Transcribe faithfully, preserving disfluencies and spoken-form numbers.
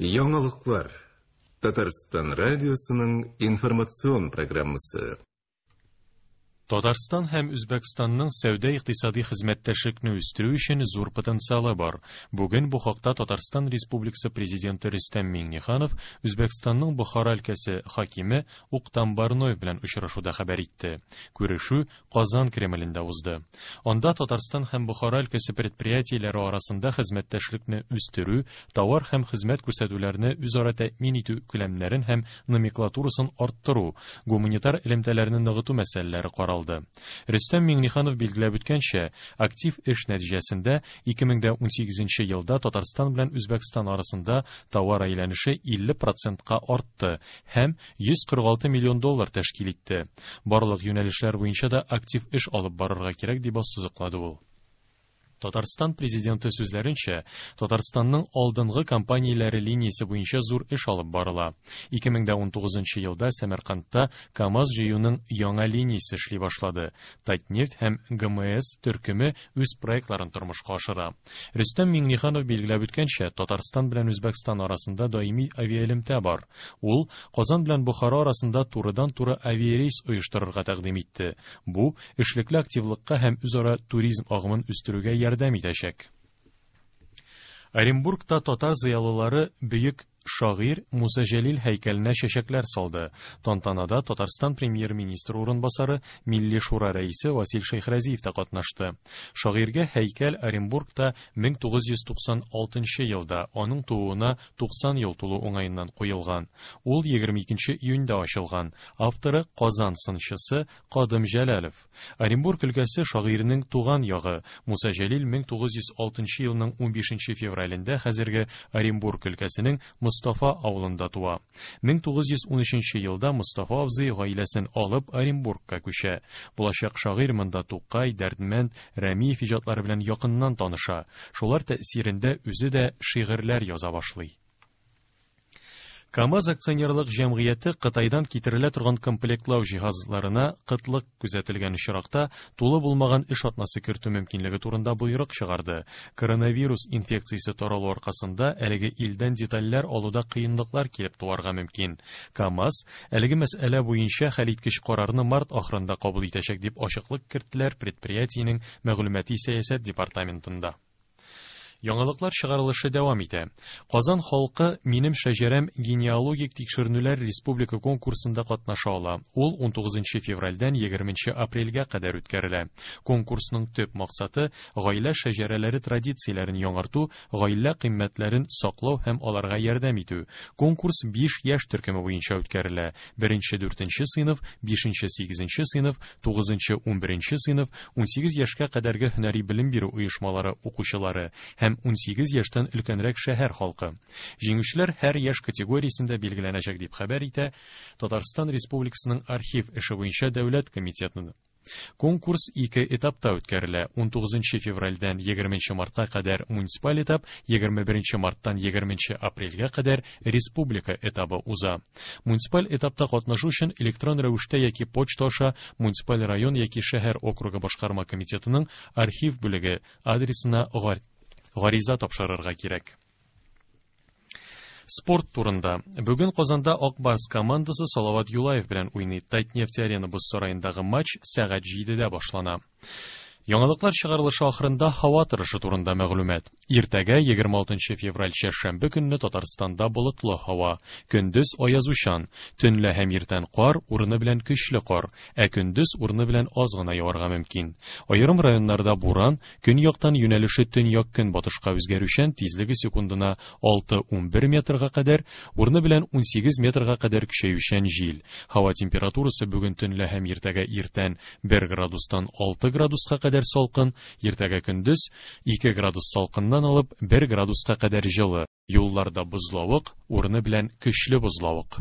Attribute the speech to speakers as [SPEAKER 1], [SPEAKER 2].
[SPEAKER 1] Яңалыклар. Татарстан радиосының информацион программасы.
[SPEAKER 2] Татарстан һәм Үзбәкстанның сәүдә-икътисади хезмәттәшлекне үстерү өчен зур потенциалы бар. Бүген бу хакта Татарстан Республикасы Президенты Рөстәм Миңнеханов Үзбәкстанның Бохара өлкәсе хакиме Уктам Барноев белән очрашуда хәбәр итте. Күрешү Казан Кремлендә узды. Анда Татарстан һәм Бохара өлкәсе предприятиеләре арасында хезмәттәшлекне үстерү, товар һәм хезмәт күрсәтүләрне үзара тәэмин итү күләмнәрен һәм номенклатурасын арттыру, гуманитар элемтәләрне ныгыту мәсьәләләре каралды. Рөстәм Миңнеханов билгеләп үткәнчә, актив эш нәтиҗәсендә ике мең дә унсигезенче елда Татарстан белән Үзбәкстан арасында товар әйләнеше илле процентка артты һәм йөз кырык алты миллион доллар тәшкил итте. Барлык юнәлешләр буенча да актив эш алып барырга кирәк, дип ассызыклады ул. Татарстан президенты сүзләренчә, Татарстанның алдынгы компанияләре линиясе буенча зур эш алып барыла. Ике мең дә унтугызынчы елда Сәмәркандта КАМАЗ җыюның яңа линиясе эшли башлады. Татнефть һәм ГМС төркеме үз проектларын тормышка ашыра. Рөстәм Миңнеханов билгеләп үткәнчә, Татарстан белән Үзбәкстан арасында даими авиаэлемтә бар. Ул Казан белән Бохара арасында турыдан-туры авиарейс оештырырга тәкъдим итте. Бу эшлекле активлыкка һәм үзара туризм агымын үстерүгә ярдәм итәчәк. Оренбургта татар зыялылары бөек шагыйрь Муса Җәлил һәйкәленә чәчәкләр салды. Тантанада Татарстан премьер-министры урынбасары, Милли Шура рәисе Васил Шәйхразиев та катнашты. Шагыйрьгә һәйкәл Оренбургта мең тугыз йөз туксан алтынчы елда аның тууына туксан ел тулу уңаеннан куелган. Ул егерме икенче июньдә ачылган. Авторы Казан сынчысы Кадым Җәләлов. Оренбург өлкәсе шагыйрьнең туган ягы. Муса Җәлил мең тугыз йөз алтынчы елның унбишенче февралендә хәзерге Оренбург өлкәсенең Мостафа авылында туа. Мең тугыз йөз унөченче елда Мостафа абзый гаиләсен алып Оренбургка күчә. Булачак шагыйрь монда Тукай, Дәрдмәнд, Рәмиев иҗатлары белән якыннан таныша. Шулар тәэсирендә үзе дә шигырьләр яза башлый. КАМАЗ акционерлык җәмгыяте Кытайдан китерелә торган комплектлау җиһазларына кытлык күзәтелгән очракта тулы булмаган эш атнасы кертү мөмкинлеге турында боерык чыгарды. Коронавирус инфекциясе таралу аркасында әлеге илдән детальләр алуда кыенлыклар килеп туарга мөмкин. КАМАЗ әлеге мәсьәлә буенча хәлиткеч карарны март ахырында кабул итәчәк, дип ачыклык керттеләр предприятиенең мәгълүмати сәясәт департаментында. Яңалыклар чыгарылышы дәвам итә. Казан халкы Минем шәҗәрәм генеалогик тикшеренүләр республика конкурсында катнаша ала. Ул унтугызынчы февральдән егерменче апрельгә кадәр үткәрелә. Конкурсның төп максаты гаилә шәҗәрәләре традицияләрен яңарту, гаилә кыйммәтләрен саклау һәм аларга ярдәм итү. Конкурс биш яшь төркеме буенча үткәрелә. Беренче, дүртенче сыйныф, бишенче, сигезенче сыйныф, тугызынчы, унберенче сыйныф, унсигез яшькә кадәрге һөнәри белем бирү оешмалары укучылары һәм унсигез яшьтән өлкәнрәк шәһәр халкы. Җиңүчеләр һәр яшь категориясендә билгеләнәчәк, дип хәбәр итә Татарстан Республикасының архив эше буенча дәүләт комитеты. Конкурс ике этапта үткәрелә. Унтугызынчы февральдән егерменче мартка кадәр муниципаль этап, егерме беренче марттан егерменче апрельгә кадәр республика этабы уза. Муниципаль этапта катнашу өчен электрон рәвештә яки почта аша муниципаль район яки шәһәр округы башкарма комитетының архив бүлеге адресына гар-, гариза тапшырырга кирәк. Спорт турында. Бүген Казанда Ак Барс командасы Салават Юлаев белән уйный. Татнефть Арена боз сараендагы матч сәгать җидедә башлана. Яңалыклар чыгарылышы ахырында һава торышы турында мәгълүмат. Иртәгә егерме алтынчы февраль чәршәмбе көнне Татарстанда болытлы һава. Көндез аязучан, төнлә һәм иртән кар, урыны белән көчле кар, ә көндез урыны белән аз гына яварга мөмкин. Аерым районнарда буран, көньяктан юнәлеше төньяк-көнбатышка үзгәрүчән, тизлеге секундына алты-унбер метрга кадәр, урыны белән унсигез метрга кадәр көчәючән җил. Һава температурасы бүген төнлә һәм иртәгә иртән бер градустан алты градуска кадәр салкын, иртәгә көндез ике градус салкыннан алып бер градуска кадәр җылы. Юлларда бозлавык, урыны белән көчле бозлавык.